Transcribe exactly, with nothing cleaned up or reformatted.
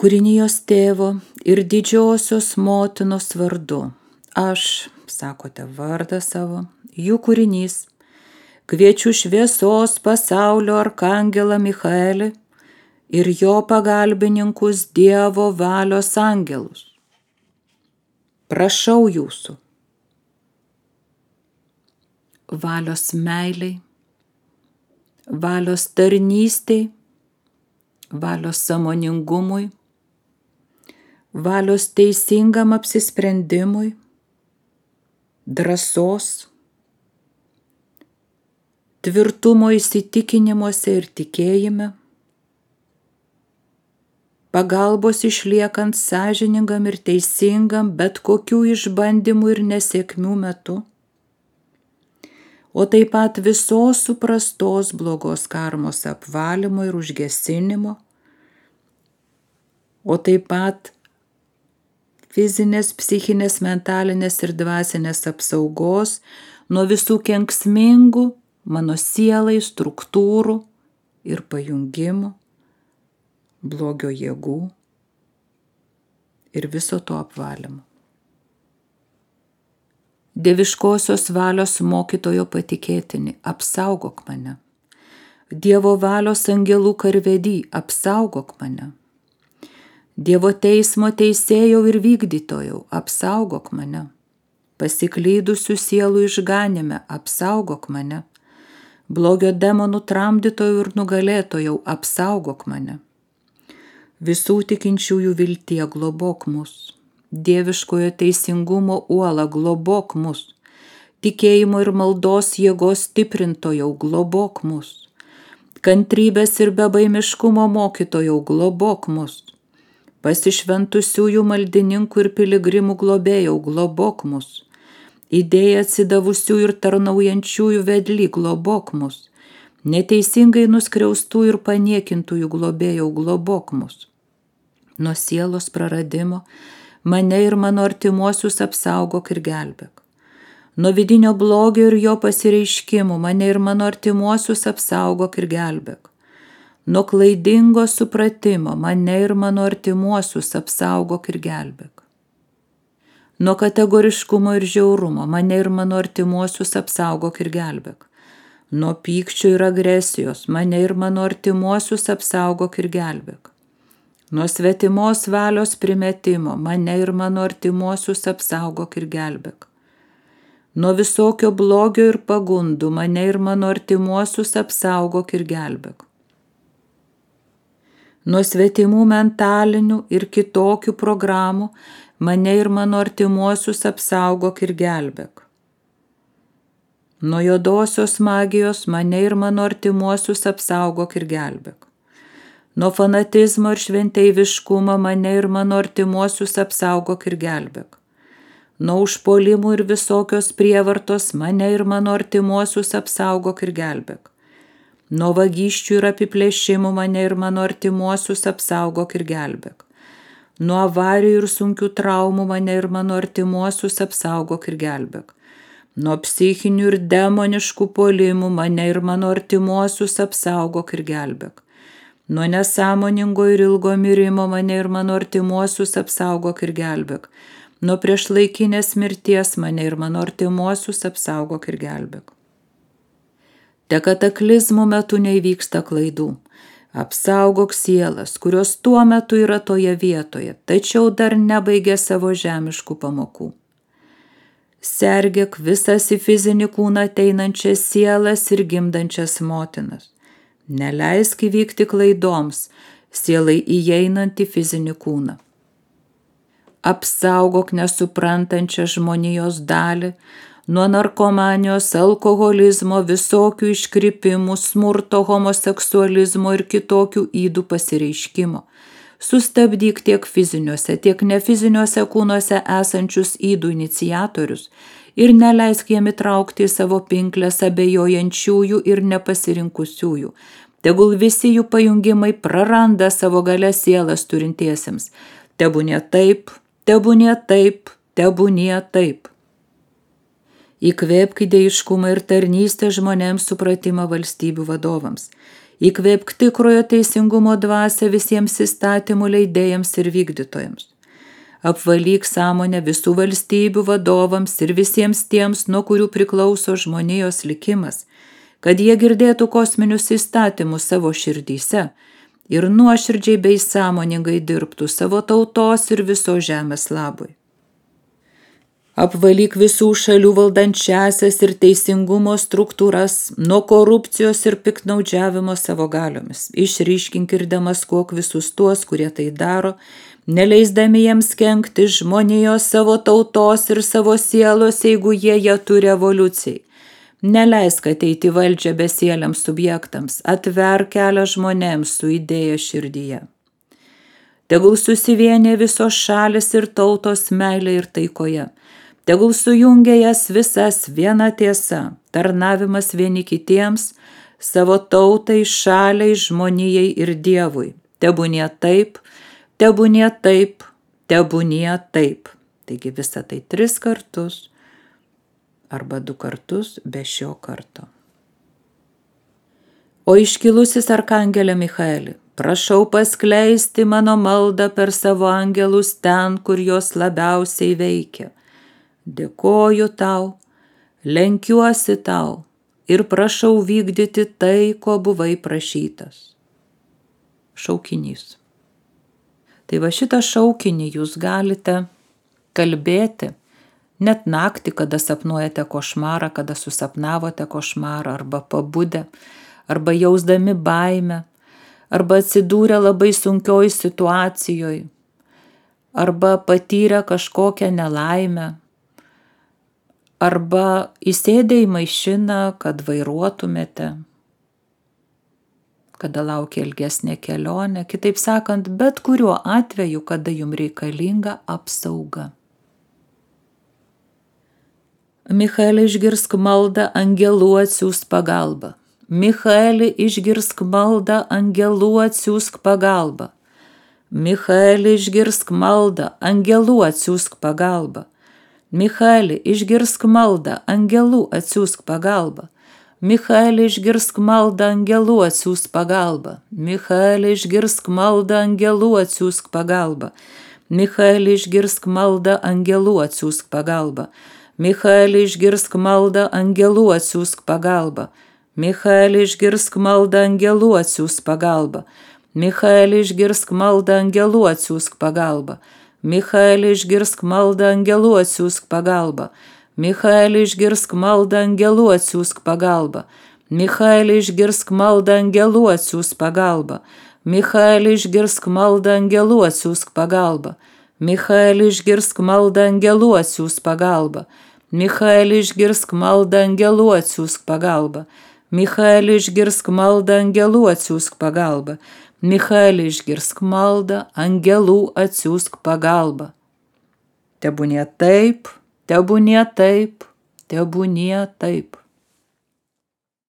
kūrinijos tėvo ir didžiosios motinos vardu. Aš, sakote vardą savo, jų kūrinys, kviečiu šviesos pasaulio arkangelą Michaelį ir jo pagalbininkus Dievo valios angelus. Prašau jūsų, valios meiliai, valios tarnystei, valios sąmoningumui, valios teisingam apsisprendimui, drąsos, tvirtumo įsitikinimuose ir tikėjime, pagalbos išliekant sąžiningam ir teisingam bet kokių išbandymų ir nesėkmių metu, o taip pat visos suprastos blogos karmos apvalymo ir užgesinimo, o taip pat fizinės, psichinės, mentalinės ir dvasinės apsaugos nuo visų kenksmingų mano sielai struktūrų ir pajungimų, blogio jėgų ir viso to apvalymo. Dieviškosios valios mokytojo patikėtini, apsaugok mane. Dievo valios angelų karvedį, apsaugok mane. Dievo teismo teisėjau ir vykdytojau, apsaugok mane. Pasiklydusių sielų išganime, apsaugok mane. Blogio demonų tramdytojau ir nugalėtojau, apsaugok mane. Visų tikinčiųjų viltie globok mus. Dieviškojo teisingumo uola globok mus. Tikėjimo ir maldos jėgos stiprintojau globok mus. Kantrybės ir bebaimiškumo mokytojau globok mus. Pasišventusiųjų maldininkų ir piligrimų globėjau globok mus. Idėja atsidavusių ir tarnaujančiųjų vedly globok mus. Neteisingai nuskriaustų ir paniekintųjų globėjau globok mus. Nuo sielos praradimo mane ir mano artimuosius apsaugok ir gelbėk. Nuo vidinio blogio ir jo pasireiškimų mane ir mano artimuosius apsaugok ir gelbėk. Nuo klaidingo supratimo mane ir mano artimuosius apsaugok ir gelbėk. Nuo kategoriškumo ir žiaurumo mane ir mano artimuosius apsaugok ir gelbėk. Nuo pykčio ir agresijos mane ir mano artimuosius apsaugok ir gelbėk. Nuo svetimos valios primetimo mane ir mano artimuosius apsaugok ir gelbėk. Nuo visokio blogio ir pagundų mane ir mano artimuosius apsaugok ir gelbėk. Nuo svetimų mentalinių ir kitokių programų mane ir mano artimuosius apsaugok ir gelbėk. Nuo juodosios magijos mane ir mano artimuosius apsaugok ir gelbėk. Nuo fanatizmo ir šventeiviškumo mane ir mano artimuosius apsaugok ir gelbėk. Nuo užpuolimų ir visokios prievartos mane ir mano artimuosius apsaugok ir gelbėk. Nuo vagysčių ir apiplėšimų mane ir mano artimuosius apsaugok ir gelbėk. Nuo avarijų ir sunkių traumų mane ir mano artimuosius apsaugok ir gelbėk. Nuo psichinių ir demoniškų puolimų mane ir mano artimuosius apsaugok ir gelbėk. Nuo nesąmoningo ir ilgo mirimo mane ir mano artimuosius apsaugok ir gelbėk. Nuo priešlaikinės mirties mane ir mano artimuosius apsaugok ir gelbėk. Te kataklizmų metu neįvyksta klaidų. Apsaugok sielas, kurios tuo metu yra toje vietoje, tačiau dar nebaigė savo žemiškų pamokų. Sergėk visas į fizinį kūną ateinančias sielas ir gimdančias motinas. Neleisk įvykti klaidoms, sielai įeinant į fizinį kūną. Apsaugok nesuprantančią žmonijos dalį nuo narkomanijos, alkoholizmo, visokių iškrypimų, smurto, homoseksualizmo ir kitokių ydų pasireiškimo. Sustabdyk tiek fiziniuose, tiek nefiziniuose kūnuose esančius ydų iniciatorius ir neleisk jiem įtraukti į savo pinklės abejojančiųjų ir nepasirinkusiųjų. Tegul visi jų pajungimai praranda savo galią sielas turintiesiems. Tebūnie taip, tebūnie taip, tebūnie taip. Įkvėpk idėjiškumą ir tarnystę žmonėms supratimą valstybių vadovams. Įkvėpk tikrojo teisingumo dvasią visiems įstatymų leidėjams ir vykdytojams. Apvalyk sąmonę visų valstybių vadovams ir visiems tiems, nuo kurių priklauso žmonijos likimas, kad jie girdėtų kosminius įstatymus savo širdyse ir nuoširdžiai bei sąmoningai dirbtų savo tautos ir visos žemės labui. Apvalyk visų šalių valdančiasias ir teisingumo struktūras nuo korupcijos ir piktnaudžiavimo savo galiomis. Išryškink ir demaskuok visus tuos, kurie tai daro, neleisdami jiems kenkti žmonijos, savo tautos ir savo sielos, jeigu jie ją turi evoliucijai. Neleisk ateiti valdžią besieliams subjektams, atverk kelią žmonėms su idėja širdyje. Tegul susivienė visos šalis ir tautos meilė ir taikoje. Tegul sujungia jas visas viena tiesa, tarnavimas vieni kitiems, savo tautai, šaliai, žmonijai ir Dievui. Tebūnie taip, tebūnie taip, tebūnie taip. Taigi visą tai tris kartus arba du kartus be šio karto. O iškilusis arkangelė Michaeli, prašau paskleisti mano maldą per savo angelus ten, kur jos labiausiai veikia. Dėkoju tau, lenkiuosi tau ir prašau vykdyti tai, ko buvai prašytas. Šaukinys. Tai va šitą šaukinį jūs galite kalbėti net naktį, kada sapnuojate košmarą, kada susapnavote košmarą, arba pabudę, arba jausdami baimę, arba atsidūrę labai sunkioj situacijoje, arba patyrę kažkokią nelaimę, arba įsėdę į mašiną, kad vairuotumėte, kada laukia ilgesnė kelionė, kitaip sakant, bet kuriuo atveju, kada jums reikalinga apsauga. Michaeli, išgirsk maldą, angelų atsiųsk pagalbą. Michaeli, išgirsk maldą, angelų atsiųsk pagalbą. Michaeli, išgirsk maldą, angelų atsiųsk pagalbą. Michaeli, išgirsk maldą, angelų atsiųsk pagalbą. Michaeli, išgirsk maldą, angelų atsiųsk pagalbą. Michaeli, išgirsk maldą, angelų atsiųsk pagalbą. Michaeli, išgirsk maldą, angelų atsiųsk pagalbą. Michaeli, išgirsk maldą, angelų atsiųsk pagalbą. Michaeli, išgirsk maldą, angelų atsiųsk pagalbą. Michaeli, išgirsk maldą, angelų atsiųsk pagalbą. Michaeli, išgirsk maldą, angelų atsiųsk pagalbą. Michaeli, išgirsk maldą, angelų atsiųsk pagalbą. Michaeli, išgirsk maldą, angelų atsiųsk pagalbą. Michaeli, išgirsk maldą, angelų atsiųsk pagalbą. Michaeli, išgirsk maldą, angelų atsiųsk pagalbą. Michaeli, išgirsk maldą, angelų atsiųsk pagalbą. Michaeli, išgirsk maldą, angelų atsiųsk pagalbą. Michaeli, išgirsk maldą, angelų atsiųsk pagalbą. Tebūnie taip, tebūnie taip, tebūnie taip.